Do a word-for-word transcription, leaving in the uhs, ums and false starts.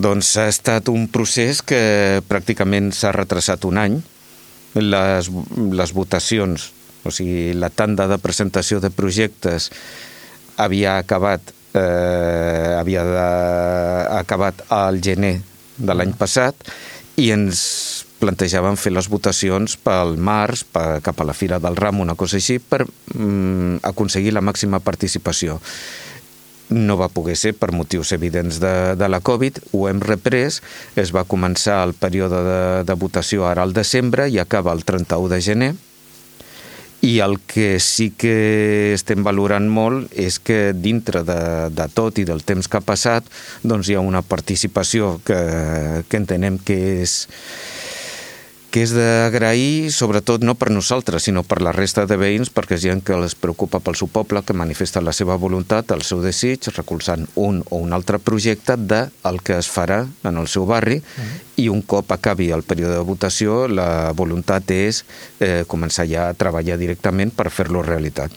Doncs ha estat un procés que pràcticament s'ha retrasat un any. Les, les votacions, o sigui, la tanda de presentació de projectes havia acabat, eh, havia de, acabat al gener de l'any passat i ens plantejàvem fer les votacions pel març, per, cap a la Fira del Ram, una cosa així, per mm, aconseguir la màxima participació. No va poder ser per motius evidents de, de la Covid, ho hem reprès, es va començar el període de, de votació ara al desembre i acaba el trenta-u de gener, i el que sí que estem valorant molt és que dintre de, de tot i del temps que ha passat, doncs hi ha una participació que, que entenem que és que és d'agrair, sobretot no per nosaltres, sinó per la resta de veïns, perquè és gent que els preocupa pel seu poble, que manifesta la seva voluntat, el seu desig, recolzant un o un altre projecte del que es farà en el seu barri, mm. i un cop acabi el període de votació, la voluntat és eh, començar ja a treballar directament per fer-lo realitat.